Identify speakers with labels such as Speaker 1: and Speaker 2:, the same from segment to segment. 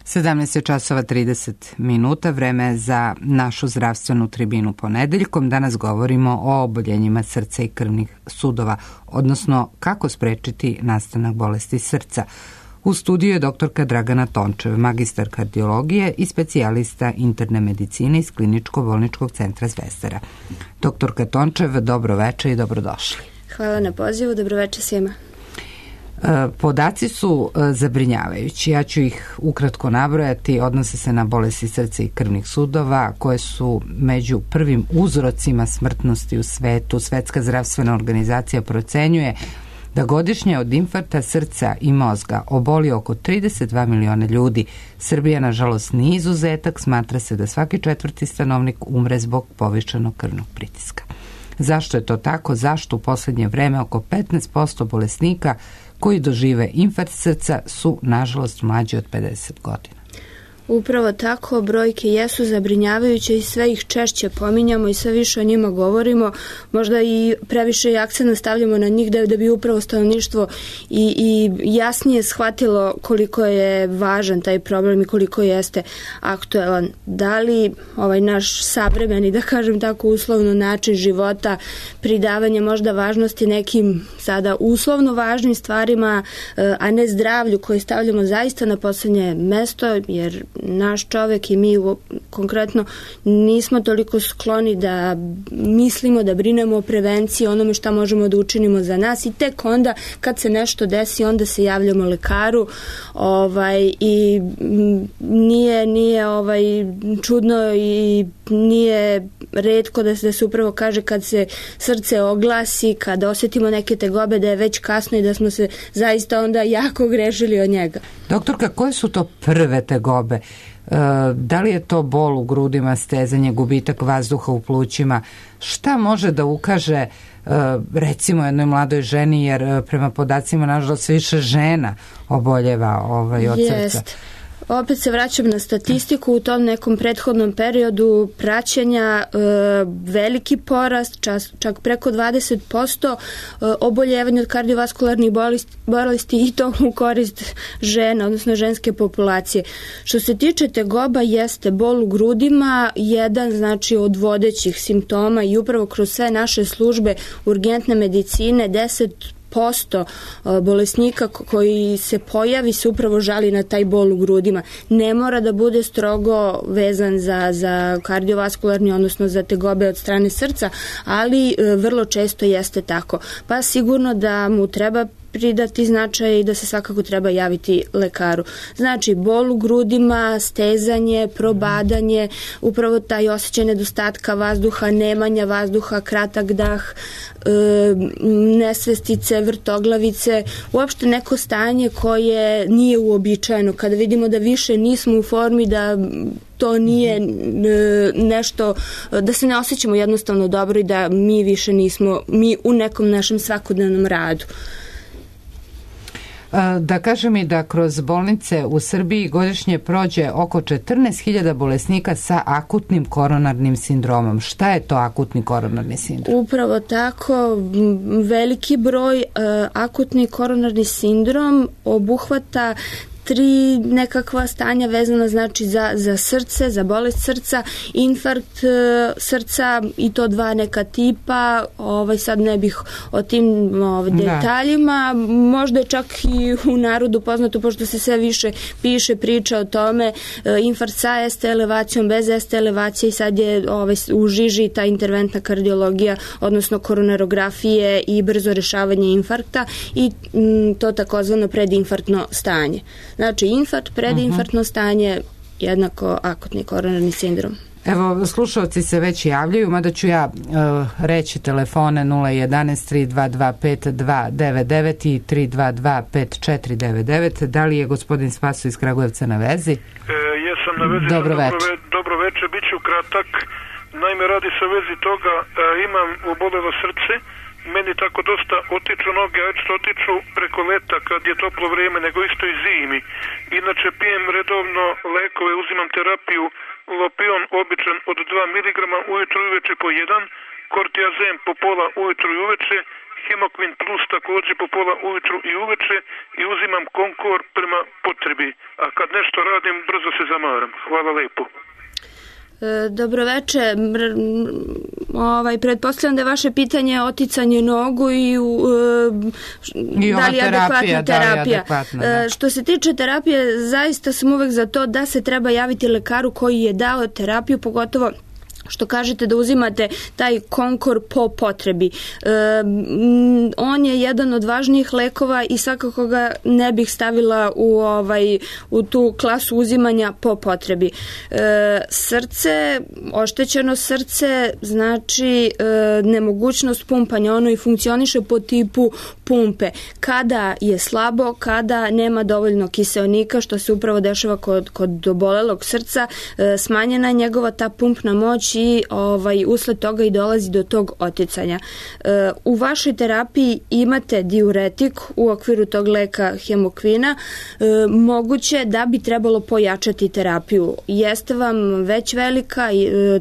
Speaker 1: 17 je časova 30 minuta, vreme za našu zdravstvenu tribinu ponedeljkom. Danas govorimo o oboljenjima srca i krvnih sudova, odnosno kako sprečiti nastanak bolesti srca. U studiju je doktorka Dragana Tončev, magistar kardiologije i specijalista interne medicine iz Kliničko-bolničkog centra Zvezdara. Doktorka Tončev, dobro veče i dobrodošli.
Speaker 2: Hvala na pozivu, dobro veče svima.
Speaker 1: Podaci su zabrinjavajući. Ja ću ih ukratko nabrojati. Odnose se na bolesti srca i krvnih sudova koje su među prvim uzrocima smrtnosti u svetu. Svetska zdravstvena organizacija procenjuje da godišnje od infarkta srca i mozga oboli oko 32 miliona ljudi. Srbija, nažalost, nije izuzetak. Smatra se da svaki četvrti stanovnik umre zbog povišenog krvnog pritiska. Zašto je to tako? Zašto u poslednje vreme oko 15% bolesnika koji dožive infarkt srca su, nažalost, mlađi od 50 godina?
Speaker 2: Upravo tako, brojke jesu zabrinjavajuće i sve ih češće pominjamo i sve više o njima govorimo. Možda i previše akcent stavljamo na njih da bi upravo stanovništvo i jasnije shvatilo koliko je važan taj problem i koliko jeste aktuelan. Da li ovaj naš savremeni, da kažem tako, uslovno način života, pridavanje možda važnosti nekim sada uslovno važnim stvarima, a ne zdravlju koje stavljamo zaista na poslednje mesto, jer naš čovek i mi konkretno nismo toliko skloni da mislimo, da brinemo o prevenciji, onome šta možemo da učinimo za nas i tek onda kad se nešto desi onda se javljamo lekaru i nije čudno i nije retko da se upravo kaže kad se srce oglasi, kada osetimo neke tegobe da je već kasno i da smo se zaista onda jako grešili od njega.
Speaker 1: Doktorka, koje su to prve tegobe? Da li je to bol u grudima, stezanje, gubitak vazduha u plućima? Šta može da ukaže recimo jednoj mladoj ženi, jer prema podacima nažalost više žena oboljeva od srca?
Speaker 2: Opet se vraćam na statistiku. U tom nekom prethodnom periodu praćenja veliki porast, čak preko 20% oboljevanja od kardiovaskularnih bolesti i to u korist žena, odnosno ženske populacije. Što se tiče tegoba, jeste bol u grudima jedan znači od vodećih simptoma i upravo kroz sve naše službe urgentne medicine 10% bolesnika koji se pojavi se upravo žali na taj bol u grudima. Ne mora da bude strogo vezan za kardiovaskularni, odnosno za tegobe od strane srca, ali vrlo često jeste tako. Pa sigurno da mu treba pridati značaj i da se svakako treba javiti lekaru. Znači, bol u grudima, stezanje, probadanje, upravo taj osjećaj nedostatka vazduha, nemanja vazduha, kratak dah, nesvestice, vrtoglavice, uopšte neko stanje koje nije uobičajeno. Kada vidimo da više nismo u formi, da to nije nešto, da se ne osjećamo jednostavno dobro i da mi više nismo, mi u nekom našem svakodnevnom radu.
Speaker 1: Da kažem i da kroz bolnice u Srbiji godišnje prođe oko 14.000 bolesnika sa akutnim koronarnim sindromom. Šta je to akutni koronarni sindrom?
Speaker 2: Upravo tako, veliki broj. Akutni koronarni sindrom obuhvata 3 nekakva stanja vezana znači za srce, za bolest srca, infarkt srca i to 2 neka tipa, sad ne bih o tim detaljima, možda je čak i u narodu poznato, pošto se sve više piše, priča o tome, infarkt sa ST elevacijom, bez ST elevacije i sad je u žiži ta interventna kardiologija, odnosno koronarografije i brzo rešavanje infarkta i to takozvano predinfarktno stanje. Znači, infarkt, predinfarktno stanje, jednako akutni koronarni sindrom.
Speaker 1: Evo, slušalci se već javljaju, mada ću ja reći telefone 011 322 5299 i 322 5499. Da li je gospodin Spaso iz Kragujevca na vezi?
Speaker 3: Jesam na vezi.
Speaker 1: Dobro veče.
Speaker 3: Dobro veče, bit ću kratak. Naime, radi se o vezi toga, imam obolelo srce, meni tako dosta otiču noge, a što otiču preko leta kad je toplo vrijeme, nego isto i zimi. Inače pijem redovno lekove, uzimam terapiju, lopion običan od 2 mg ujutro i uveče po 1, kortiazem po pola ujutro i uveče Hemokvin plus također po pola ujutru i uveče i uzimam Konkor prema potrebi. A kad nešto radim, brzo se zamaram. Hvala lepo.
Speaker 2: Dobroveče. Pretpostavljam da je vaše pitanje oticanje nogu i da li je adekvatna terapija. Što se tiče terapije, zaista sam uvek za to da se treba javiti lekaru koji je dao terapiju, pogotovo što kažete da uzimate taj Konkor po potrebi. On je jedan od važnijih lekova i svakako ga ne bih stavila u tu klasu uzimanja po potrebi. Srce, oštećeno srce znači nemogućnost pumpanja, ono i funkcioniše po tipu pumpe. Kada je slabo, kada nema dovoljno kiseonika, što se upravo dešava kod obolelog srca, smanjena je njegova ta pumpna moć i usled toga i dolazi do tog oticanja. U vašoj terapiji imate diuretik u okviru tog leka hemokvina. Moguće da bi trebalo pojačati terapiju. Jeste vam već velika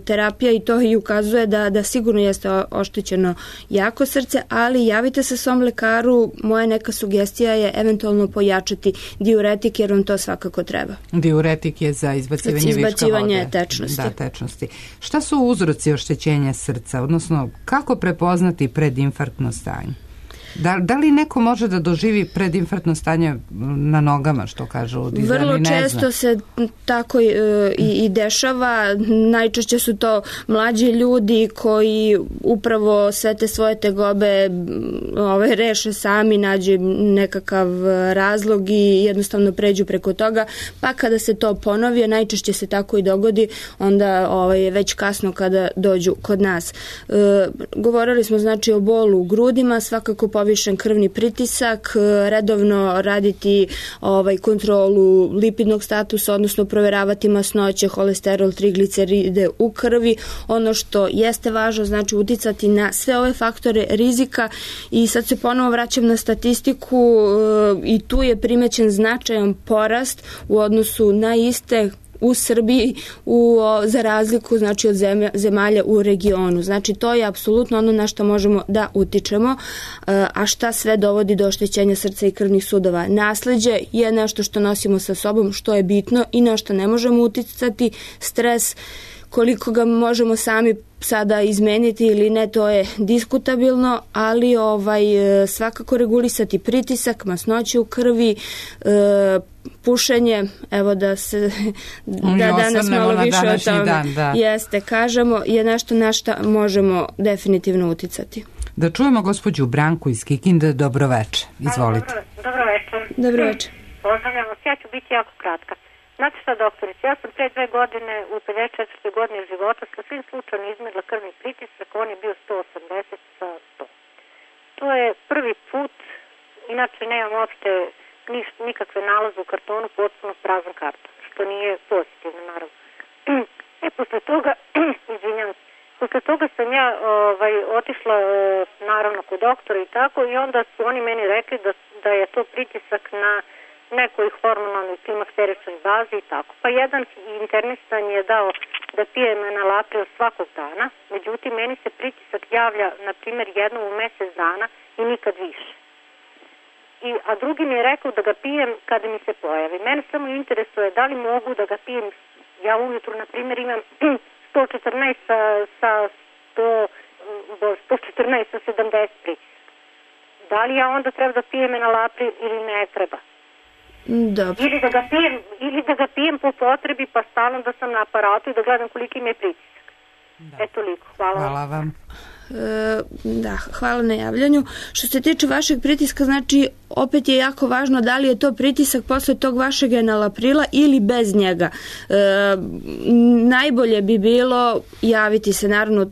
Speaker 2: terapija i to i ukazuje da sigurno jeste oštećeno jako srce, ali javite se svom lekaru. Moja neka sugestija je eventualno pojačati diuretik jer vam to svakako treba.
Speaker 1: Diuretik je za izbacivanje
Speaker 2: tečnosti.
Speaker 1: Da, tečnosti. Šta su uzroci oštećenja srca, odnosno kako prepoznati predinfarktno stanje? Da li neko može da doživi predinfarktno stanje na nogama, što kažu ljudi?
Speaker 2: Vrlo često se tako i dešava. Najčešće su to mlađi ljudi koji upravo sve te svoje tegobe reše sami, nađu nekakav razlog i jednostavno pređu preko toga, pa kada se to ponovi, najčešće se tako i dogodi, onda je već kasno kada dođu kod nas. Govorili smo znači o bolu u grudima, svakako povišen krvni pritisak, redovno raditi kontrolu lipidnog statusa, odnosno proveravati masnoće, holesterol, trigliceride u krvi. Ono što jeste važno, znači uticati na sve ove faktore rizika i sad se ponovo vraćam na statistiku i tu je primećen značajan porast u odnosu na iste u Srbiji za razliku znači od zemalja u regionu. Znači to je apsolutno ono na što možemo da utičemo, a šta sve dovodi do oštećenja srca i krvnih sudova. Nasleđe je nešto što nosimo sa sobom, što je bitno i na što ne možemo uticati. Stres, koliko ga možemo sami sada izmeniti ili ne, to je diskutabilno, ali svakako regulisati pritisak, masnoće u krvi, pušenje, evo da danas malo više o tome jeste, kažemo, je nešto na što možemo definitivno uticati.
Speaker 1: Da čujemo gospođu Branku iz Kikinde. Dobroveče, izvolite.
Speaker 2: Dobroveče.
Speaker 4: Pozdravljam vas, ja ću biti jako kratka. Znate šta, doktorice, ja sam pre 2 godine u 54. godini života sa svim slučajno izmerila krvni pritisak, on je bio 180 sa 100. To je prvi put, inače nemam uopšte nikakve nalaze u kartonu, potpuno prazan karton, što nije pozitivno, naravno. Posle toga, izvinjam, posle toga sam ja otišla naravno kod doktora i tako, i onda su oni meni rekli da je to pritisak na nekoj hormonalnoj klimakteričnoj bazi i tako. Pa jedan internista mi je dao da pijem enalapril svakog dana, međutim meni se pritisak javlja na primjer jednom u mesec dana i nikad više. A drugi mi je rekao da ga pijem kada mi se pojavi. Mene samo interesuje da li mogu da ga pijem, ja ujutru na primjer imam 114 sa 70 pritisak. Da li ja onda treba da pijem enalapril ili ne treba?
Speaker 2: Dobro.
Speaker 4: Ili da ga pijem po potrebi, pa stalno da sam na aparatu i da gledam koliki mi je pritisak. Toliko.
Speaker 1: Hvala vam.
Speaker 2: Hvala na javljanju. Što se tiče vašeg pritiska, znači opet je jako važno da li je to pritisak posle tog vašeg enalaprila ili bez njega. Najbolje bi bilo javiti se naravno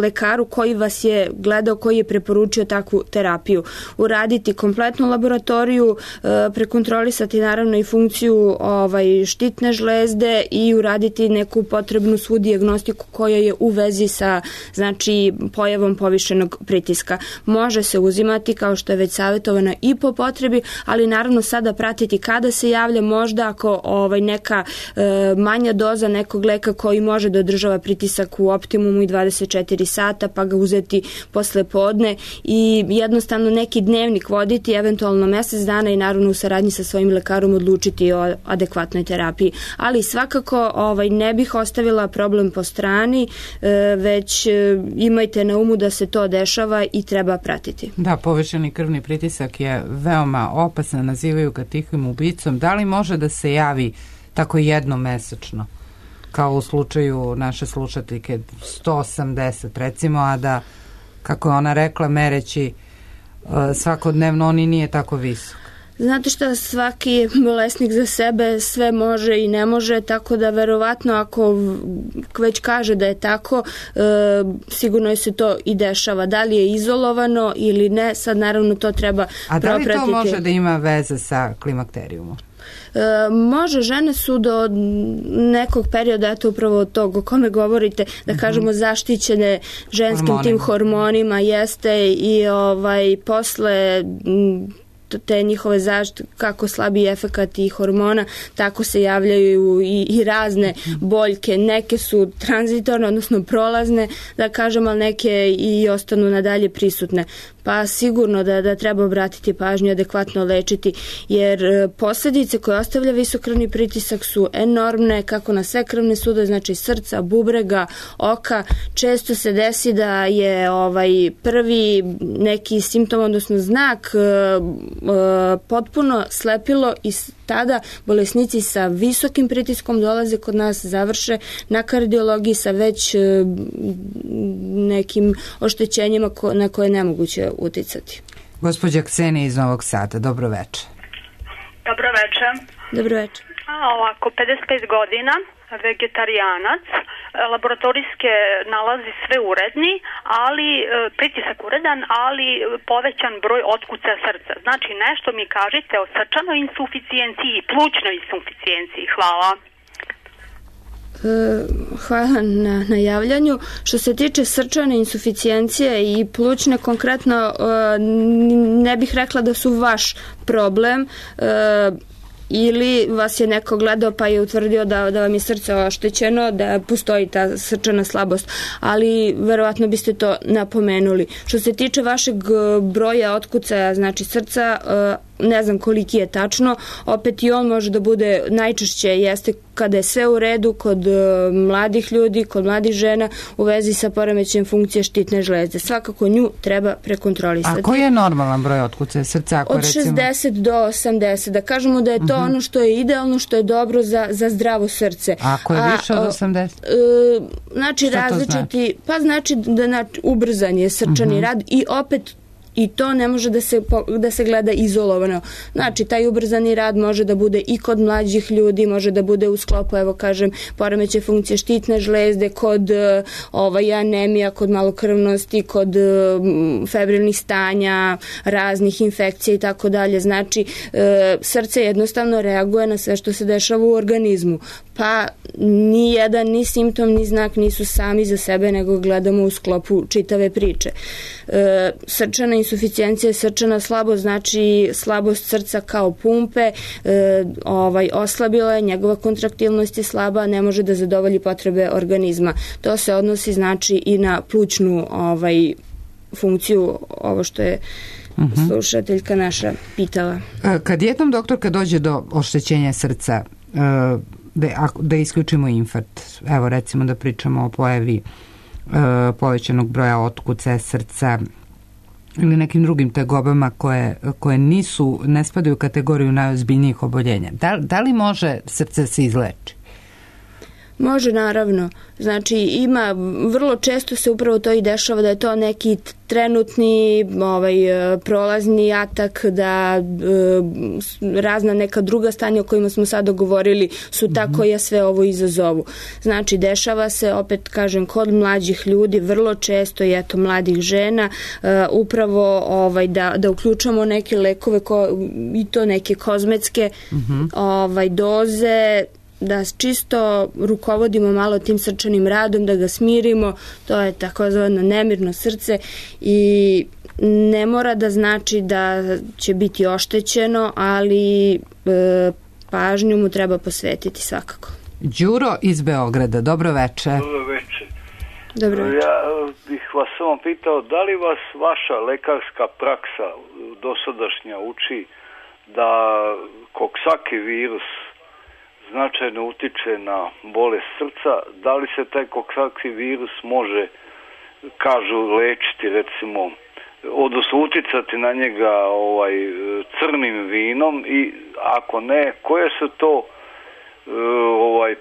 Speaker 2: lekaru koji vas je gledao, koji je preporučio takvu terapiju. Uraditi kompletnu laboratoriju, prekontrolisati naravno i funkciju štitne žlezde i uraditi neku potrebnu svu dijagnostiku koja je u vezi sa znači pojavom pojavom povišenog pritiska. Može se uzimati, kao što je već savjetovano, i po potrebi, ali naravno sada pratiti kada se javlja, možda ako neka manja doza nekog leka koji može da održava pritisak u optimumu i 24 sata, pa ga uzeti posle podne i jednostavno neki dnevnik voditi, eventualno mesec dana i naravno u saradnji sa svojim lekarom odlučiti o adekvatnoj terapiji. Ali svakako ne bih ostavila problem po strani, već imajte na umu da se to dešava i treba pratiti.
Speaker 1: Da, povišeni krvni pritisak je veoma opasan, nazivaju ga tihim ubicom. Da li može da se javi tako jednom mesečno, kao u slučaju naše slušateljke 180 recimo, a da, kako je ona rekla, mereći svakodnevno on i nije tako visok?
Speaker 2: Znate šta, svaki bolesnik za sebe sve može i ne može, tako da verovatno ako već kaže da je tako, sigurno je se to i dešava. Da li je izolovano ili ne, sad naravno to treba propratiti.
Speaker 1: A da li to može da ima veze sa klimakterijumom?
Speaker 2: Može, žene su do nekog perioda, eto upravo tog o kome govorite, da kažemo zaštićene ženskim tim hormonima, jeste, i posle te njihove zaštite, kako slabiji efekat i hormona, tako se javljaju i razne boljke. Neke su tranzitorne, odnosno prolazne, da kažem, ali neke i ostanu nadalje prisutne. Pa sigurno da treba obratiti pažnju, adekvatno lečiti, jer posljedice koje ostavlja visok krvni pritisak su enormne, kako na sve krvne sudove, znači srca, bubrega, oka. Često se desi da je prvi neki simptom, odnosno znak, potpuno slepilo i tada bolesnici sa visokim pritiskom dolaze kod nas, završe na kardiologiji sa već nekim oštećenjima na koje je nemoguće uticati.
Speaker 1: Gospođa Ksenija iz Novog Sada, dobro večer.
Speaker 5: Dobro večer.
Speaker 2: Dobro večer.
Speaker 5: Ovako, 55 godina, vegetarijanac, laboratorijske nalazi sve uredni, ali pritisak uredan, ali povećan broj otkucaja srca. Znači nešto mi kažite o srčanoj insuficijenciji i plućnoj insuficijenciji. Hvala.
Speaker 2: Hvala na javljanju. Što se tiče srčane insuficijencije i plućne, konkretno ne bih rekla da su vaš problem, ili vas je neko gledao pa je utvrdio da vam je srce oštećeno, da postoji ta srčana slabost, ali verovatno biste to napomenuli. Što se tiče vašeg broja otkucaja, znači srca, ne znam koliki je tačno, opet i on može da bude, najčešće jeste kada je sve u redu kod mladih ljudi, kod mladih žena u vezi sa poremećajem funkcije štitne žlezde. Svakako nju treba prekontrolisati.
Speaker 1: A koji je normalan broj otkucaja srca?
Speaker 2: Od 60 do 80. Da kažemo da je to ono što je idealno, što je dobro za zdravo srce.
Speaker 1: A ako je više od 80?
Speaker 2: Znači različiti, pa znači da ubrzan je srčani rad i opet i to ne može da se gleda izolovano. Znači, taj ubrzani rad može da bude i kod mlađih ljudi, može da bude u sklopu, evo kažem, poremećaja funkcije štitne žlezde, kod anemija, kod malokrvnosti, kod febrilnih stanja, raznih infekcija i tako dalje. Znači, srce jednostavno reaguje na sve što se dešava u organizmu. Pa ni jedan, ni simptom, ni znak nisu sami za sebe, nego gledamo u sklopu čitave priče. Srčana insuficijencija je srčana slabost, znači slabost srca kao pumpe, oslabila je, njegova kontraktilnost je slaba, ne može da zadovolji potrebe organizma. To se odnosi znači i na plućnu funkciju, ovo što je slušateljka naša pitala.
Speaker 1: Kad jednom doktorka dođe do oštećenja srca, da isključimo infarkt, evo recimo da pričamo o pojavi povećanog broja otkucaja srca ili nekim drugim tegobama koje ne spadaju u kategoriju najozbiljnijih oboljenja. Da li može srce se izleči?
Speaker 2: Može, naravno. Znači, vrlo često se upravo to i dešava da je to neki trenutni prolazni atak, da razna neka druga stanja o kojima smo sad govorili su ta koja sve ovo izazovu. Znači, dešava se, opet kažem, kod mlađih ljudi, vrlo često i eto mladih žena, upravo da uključamo neke lekove i to neke kozmetske doze, da čisto rukovodimo malo tim srčanim radom, da ga smirimo, to je takozvano nemirno srce i ne mora da znači da će biti oštećeno, ali pažnju mu treba posvetiti svakako.
Speaker 1: Đuro iz Beograda, dobro veče.
Speaker 6: Dobro veče.
Speaker 2: Dobro veče.
Speaker 6: Ja bih vas samo pitao, da li vas vaša lekarska praksa dosadašnja uči da koksaki virus značajno utiče na bolest srca, da li se taj koksaki virus može, kažu, lečiti, recimo, odnosno uticati na njega crnim vinom, i ako ne, koje su to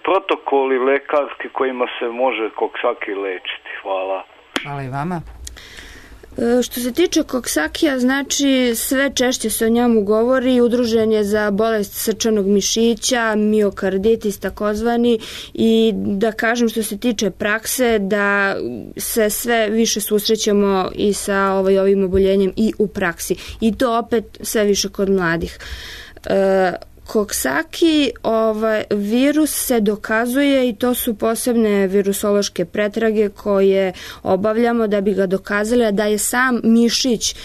Speaker 6: protokoli lekarski kojima se može koksaki lečiti? Hvala.
Speaker 1: Hvala i vama.
Speaker 2: Što se tiče koksakija, znači sve češće se o njemu govori, udružen je za bolest srčanog mišića, miokarditis takozvani, i da kažem što se tiče prakse da se sve više susrećemo i sa ovim oboljenjem i u praksi. I to opet sve više kod mladih. Koksaki virus se dokazuje i to su posebne virusološke pretrage koje obavljamo da bi ga dokazali da je sam mišić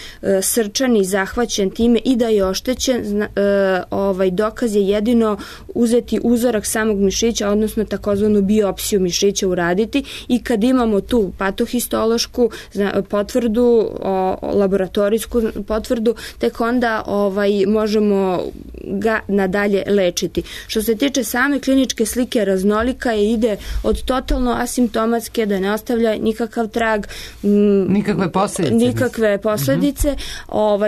Speaker 2: srčani zahvaćen time i da je oštećen. Dokaz je jedino uzeti uzorak samog mišića, odnosno takozvanu biopsiju mišića uraditi, i kad imamo tu patohistološku potvrdu, laboratorijsku potvrdu, tek onda možemo ga nadalje lečiti. Što se tiče same kliničke slike, raznolika je, ide od totalno asimptomatske, da ne ostavlja nikakav trag, nikakve posledice,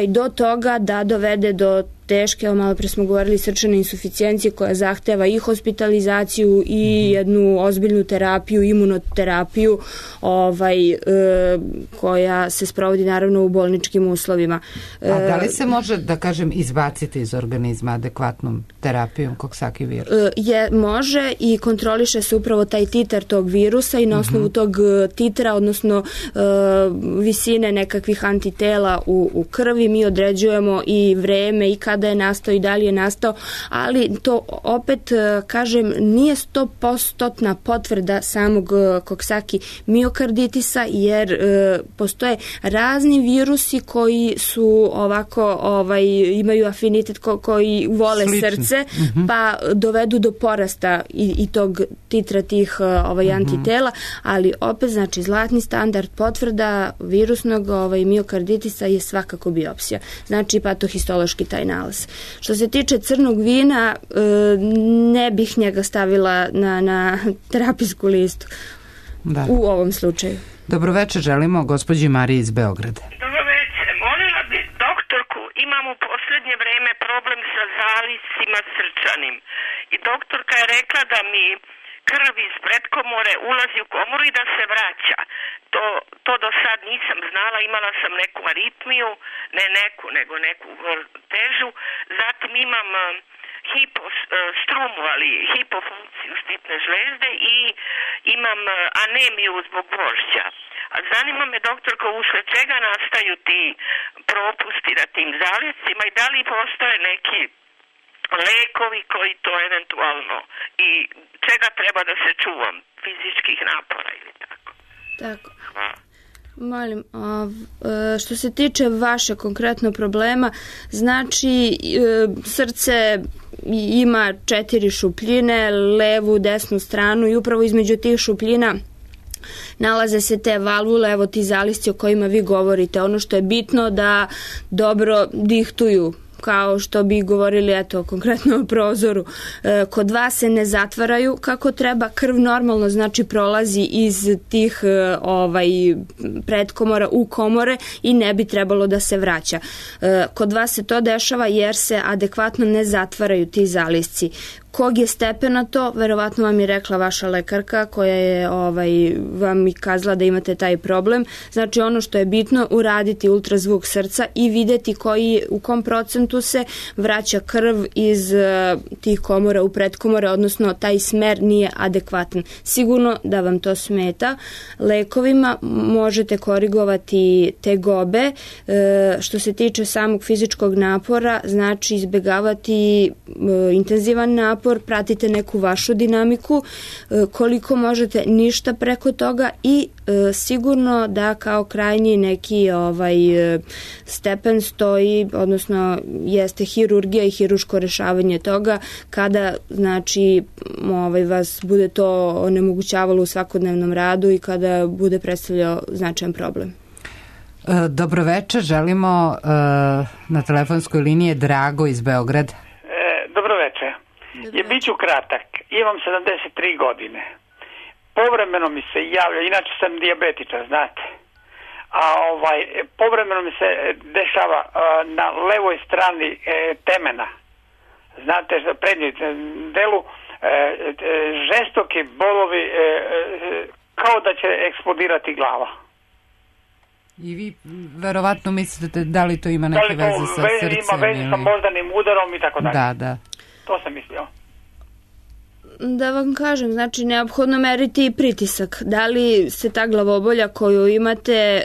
Speaker 2: do toga da dovede do teške, malo pre smo govorili, srčane insuficijencije koja zahteva i hospitalizaciju i jednu ozbiljnu terapiju, imunoterapiju, koja se sprovodi naravno u bolničkim uslovima.
Speaker 1: A da li se može, da kažem, izbaciti iz organizma adekvatnom terapijom koksaki virusa?
Speaker 2: Može, i kontroliše se upravo taj titar tog virusa i na osnovu tog titra, odnosno visine nekakvih antitela u krvi, mi određujemo i vreme i kada je nastao i da li je nastao, ali to opet, kažem, nije 100% potvrda samog koksaki miokarditisa, jer postoje razni virusi koji su imaju afinitet, koji vole srce, pa dovedu do porasta i tog titra tih antitela, ali opet, znači, zlatni standard potvrda virusnog miokarditisa je svakako biopsija, znači patohistološki taj nalaz. Što se tiče crnog vina, ne bih njega stavila na terapijsku listu u ovom slučaju.
Speaker 1: Dobro večer, želimo gospođi Mariji iz Beograda.
Speaker 7: Dobro večer, molila bi doktorku, imam u posljednje vreme problem sa zaliscima srčanim i doktorka je rekla da mi krv iz predkomore ulazi u komoru i da se vraća. To do sad nisam znala, imala sam neku aritmiju, nego neku težu, zatim imam strumu, ali hipofunkciju štitne žlezde, i imam anemiju zbog gvožđa. A zanima me, doktorko, usled čega nastaju ti propusti na tim zaliscima i da li postoje neki lekovi koji to eventualno, i čega treba da se čuvam, fizičkih napora ili tako.
Speaker 2: Tako. Molim, što se tiče vaše konkretno problema, znači srce ima 4 šupljine, levu, desnu stranu, i upravo između tih šupljina nalaze se te valvule, evo ti zalisci o kojima vi govorite. Ono što je bitno da dobro dihtuju, kao što bi govorili, eto, konkretno o prozoru. Kod vas se ne zatvaraju kako treba, krv normalno, znači, prolazi iz tih predkomora u komore i ne bi trebalo da se vraća. Kod vas se to dešava jer se adekvatno ne zatvaraju ti zalisci. Kog je stepena to, verovatno vam je rekla vaša lekarka koja je vam i kazala da imate taj problem. Znači, ono što je bitno, uraditi ultrazvuk srca i videti u kom procentu se vraća krv iz tih komora u predkomore, odnosno taj smer nije adekvatan. Sigurno da vam to smeta. Lekovima možete korigovati tegobe. Što se tiče samog fizičkog napora, znači izbegavati intenzivan napor, napor, pratite neku vašu dinamiku, koliko možete ništa preko toga i sigurno da kao krajnji neki stepen stoji, odnosno jeste hirurgija i hiruško rešavanje toga kada znači vas bude to onemogućavalo u svakodnevnom radu i kada bude predstavljao značajan problem.
Speaker 1: Dobroveče, želimo na telefonskoj liniji Drago iz Beograda.
Speaker 8: Dobroveče. Biću kratak. Imam 73 godine. Povremeno mi se javlja, inače sam dijabetičar, znate. A povremeno mi se dešava na levoj strani temena. Znate, prednjem delu žestoki bolovi kao da će eksplodirati glava.
Speaker 1: I vi verovatno mislite da li to ima neke veze sa srcem?
Speaker 8: Ima veze sa moždanim udarom i tako dalje.
Speaker 1: Da.
Speaker 8: To sam mislio.
Speaker 2: Da vam kažem, znači neophodno meriti pritisak. Da li se ta glavobolja koju imate,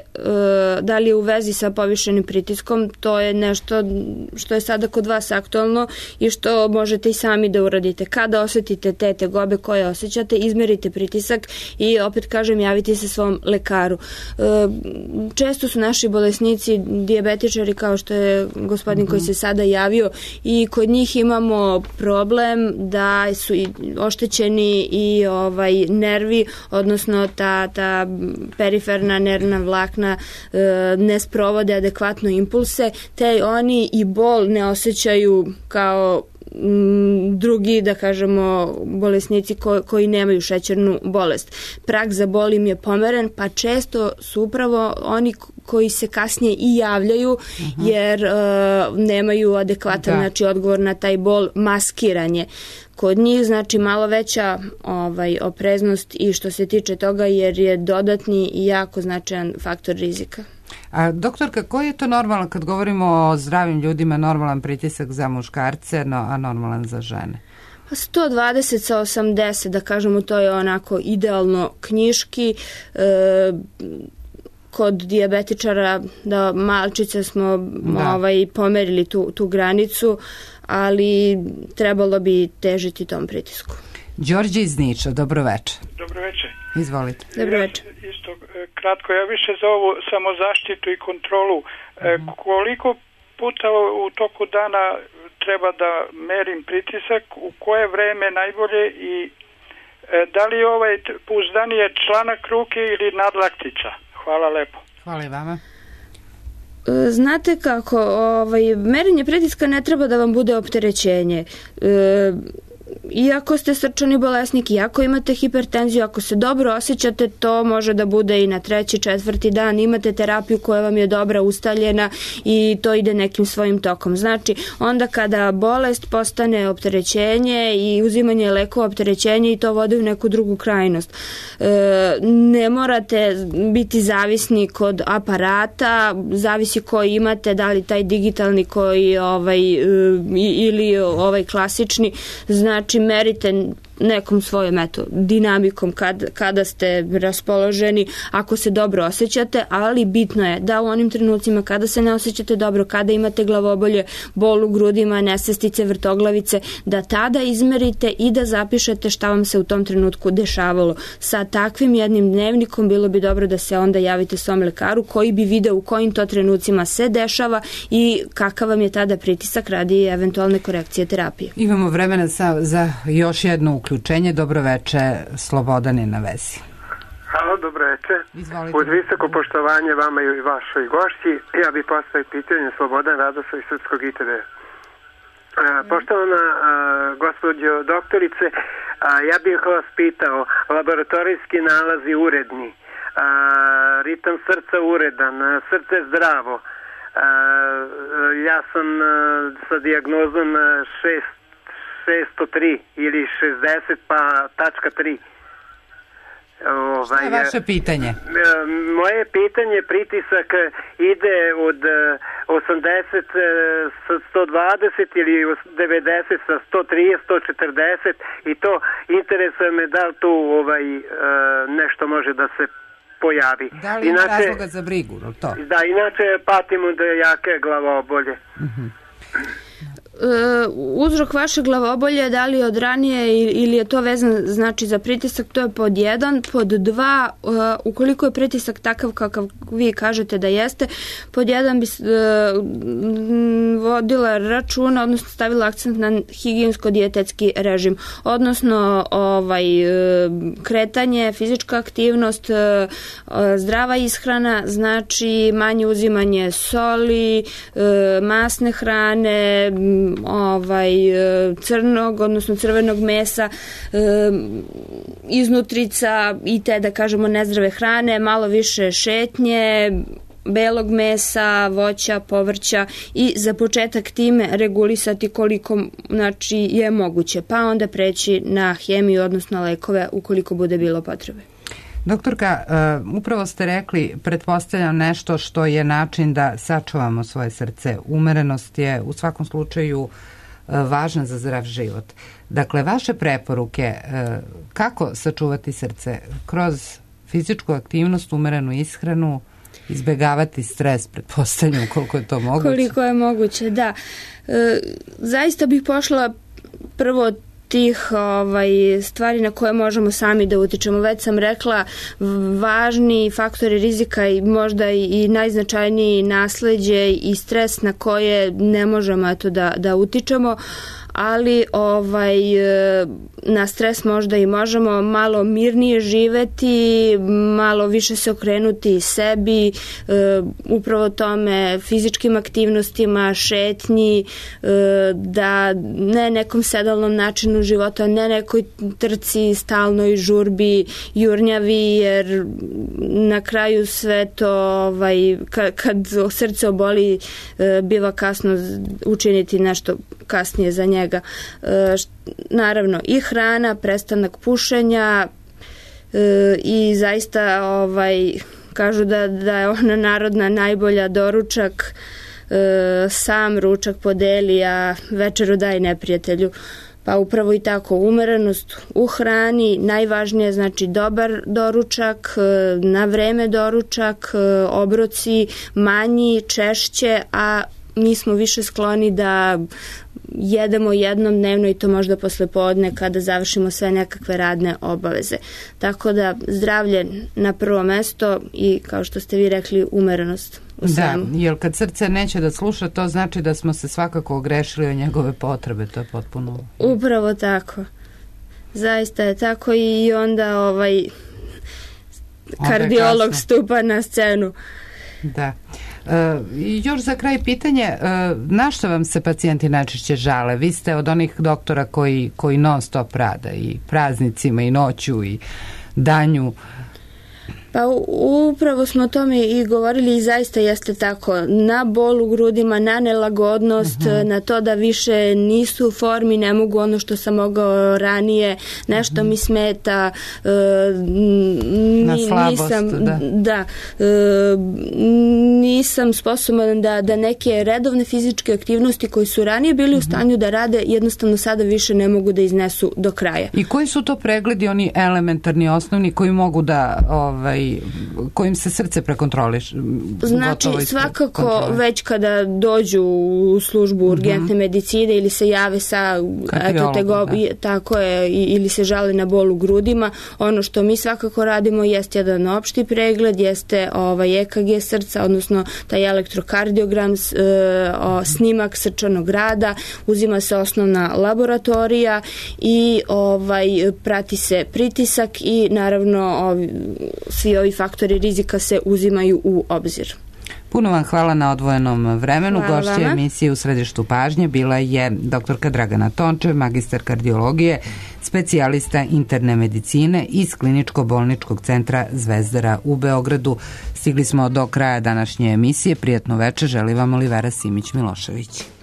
Speaker 2: da li je u vezi sa povišenim pritiskom, to je nešto što je sada kod vas aktualno i što možete i sami da uradite. Kada osetite te tegobe koje osjećate, izmerite pritisak i opet kažem, javite se svom lekaru. Često su naši bolesnici dijabetičari, kao što je gospodin koji se sada javio, i kod njih imamo problem da su i oštećeni i nervi, odnosno ta periferna nervna vlakna ne sprovode adekvatno impulse, te oni i bol ne osjećaju kao drugi, da kažemo, bolesnici koji nemaju šećernu bolest. Prag za bol im je pomeren, pa često su upravo oni koji se kasnije i javljaju jer nemaju adekvatan znači, odgovor na taj bol, maskiranje. Kod njih znači malo veća opreznost i što se tiče toga jer je dodatni i jako značajan faktor rizika.
Speaker 1: A doktorka, koji je to normalan, kad govorimo o zdravim ljudima, normalan pritisak za muškarce, a normalan za žene?
Speaker 2: 120 sa 80, da kažemo, to je onako idealno knjiški. Kod dijabetičara da malčice smo pomerili tu granicu, ali trebalo bi težiti tom pritisku.
Speaker 1: Đorđe iz Niča, dobroveče.
Speaker 3: Dobroveče.
Speaker 1: Izvolite.
Speaker 2: Dobroveče.
Speaker 3: Isto kratko, ja više za ovu samozaštitu i kontrolu. Koliko puta u toku dana treba da merim pritisak, u koje vreme najbolje i da li je pouzdanije članak ruke ili nadlaktica? Hvala lepo.
Speaker 1: Hvala i vama.
Speaker 2: Znate kako, merenje pritiska ne treba da vam bude opterećenje. Iako ste srčani bolesnik, iako imate hipertenziju, ako se dobro osjećate, to može da bude i na 3., 4. dan. Imate terapiju koja vam je dobra, ustaljena i to ide nekim svojim tokom. Znači, onda kada bolest postane opterećenje i uzimanje lekova opterećenje i to vodi u neku drugu krajnost. Ne morate biti zavisnik od aparata, zavisi koji imate, da li taj digitalni koji ili klasični. Znači, merite nekom svojom dinamikom kada ste raspoloženi, ako se dobro osjećate, ali bitno je da u onim trenucima kada se ne osjećate dobro, kada imate glavobolje, bol u grudima, nesvestice, vrtoglavice, da tada izmerite i da zapišete šta vam se u tom trenutku dešavalo. Sa takvim jednim dnevnikom bilo bi dobro da se onda javite svom lekaru koji bi video u kojim to trenucima se dešava i kakav vam je tada pritisak radi eventualne korekcije terapije.
Speaker 1: Imamo vremena za još jedno uključenje. Dobroveče, Slobodan je na vezi.
Speaker 9: Halo, dobroveče.
Speaker 1: Izvolite.
Speaker 9: Uz visoko poštovanje vama i vašoj gošći, ja bih postavio pitanje Slobodan Radoslav iz Srpskog ITV. Poštovana gospođo doktorice, ja bih vas pitao, laboratorijski nalazi uredni, ritam srca uredan, srce zdravo, ja sam sa dijagnozom 603 ili 60 pa tačka 3.
Speaker 1: Šta je vaše pitanje?
Speaker 9: Moje pitanje, pritisak ide od 80 sa 120 ili 90 sa 130, 140 i to interesuje me da li tu nešto može da se pojavi.
Speaker 1: Da li ima razloga za brigu? To?
Speaker 9: Da, inače patim od jake glavobolje.
Speaker 2: uzrok vaše glavobolje, da li od ranije ili je to vezan znači za pritisak, to je pod 1. Pod 2, ukoliko je pritisak takav kakav vi kažete da jeste, pod 1 bi vodila računa, odnosno stavila akcent na higijensko-dijetetski režim, odnosno kretanje, fizička aktivnost, zdrava ishrana, znači manje uzimanje soli, masne hrane, crnog, odnosno crvenog mesa, iznutrica i te, da kažemo, nezdrave hrane, malo više šetnje, belog mesa, voća, povrća i za početak time regulisati koliko znači je moguće, pa onda preći na hemiju, odnosno lekove ukoliko bude bilo potrebe.
Speaker 1: Doktorka, upravo ste rekli, pretpostavljam nešto što je način da sačuvamo svoje srce. Umerenost je u svakom slučaju važna za zdrav život. Dakle, vaše preporuke kako sačuvati srce? Kroz fizičku aktivnost, umerenu ishranu, izbegavati stres, pretpostavljam koliko je to moguće.
Speaker 2: Koliko je moguće, da. Zaista bih pošla prvo tih stvari na koje možemo sami da utičemo. Već sam rekla, važni faktori rizika i možda i najznačajniji nasleđe i stres na koje ne možemo da utičemo, ali na stres možda i možemo malo mirnije živeti, malo više se okrenuti sebi, upravo tome, fizičkim aktivnostima, šetnji, da ne nekom sedalnom načinu života, ne nekoj trci, stalnoj žurbi, jurnjavi, jer na kraju sve to, kad srce oboli, biva kasno učiniti nešto kasnije za njega. Naravno i hrana, prestanak pušenja i zaista kažu da je ona narodna najbolja doručak, sam ručak podeli, a večeru daj neprijatelju. Pa upravo i tako, umerenost u hrani, najvažnije znači dobar doručak, na vreme doručak, obroci manji, češće, a mi smo više skloni da jedemo jednom dnevno i to možda posle podne kada završimo sve nekakve radne obaveze. Tako da zdravlje na prvo mesto i, kao što ste vi rekli, umerenost u svemu.
Speaker 1: Da, jer kad srce neće da sluša, to znači da smo se svakako ogrešili o njegove potrebe, to je potpuno...
Speaker 2: Upravo tako. Zaista je tako i onda kardiolog stupa na scenu.
Speaker 1: Da. I još za kraj pitanje, na što vam se pacijenti najčešće žale? Vi ste od onih doktora koji non stop rade i praznicima i noću i danju.
Speaker 2: Pa upravo smo o tome i govorili i zaista jeste tako. Na bol u grudima, na nelagodnost, na to da više nisu u formi, ne mogu ono što sam mogao ranije, nešto mi smeta,
Speaker 1: na slabost,
Speaker 2: nisam sposoban da neke redovne fizičke aktivnosti koje su ranije bili u stanju da rade, jednostavno sada više ne mogu da iznesu do kraja.
Speaker 1: I koji su to pregledi, oni elementarni, osnovni, koji mogu da kojim se srce prekontroliš?
Speaker 2: Znači, svakako već kada dođu u službu urgentne medicine ili se jave sa tako je, ili se žale na bol u grudima, ono što mi svakako radimo jeste jedan opšti pregled, jeste EKG srca, odnosno taj elektrokardiogram, snimak srčanog rada, uzima se osnovna laboratorija i prati se pritisak i naravno svi ovi faktori rizika se uzimaju u obzir.
Speaker 1: Puno vam hvala na odvojenom vremenu. Gošća emisije U središtu pažnje bila je doktorka Dragana Tončev, magistar kardiologije, specijalista interne medicine iz Kliničko-bolničkog centra Zvezdara u Beogradu. Stigli smo do kraja današnje emisije. Prijatno večer, želi vam Olivera Simić-Milošević.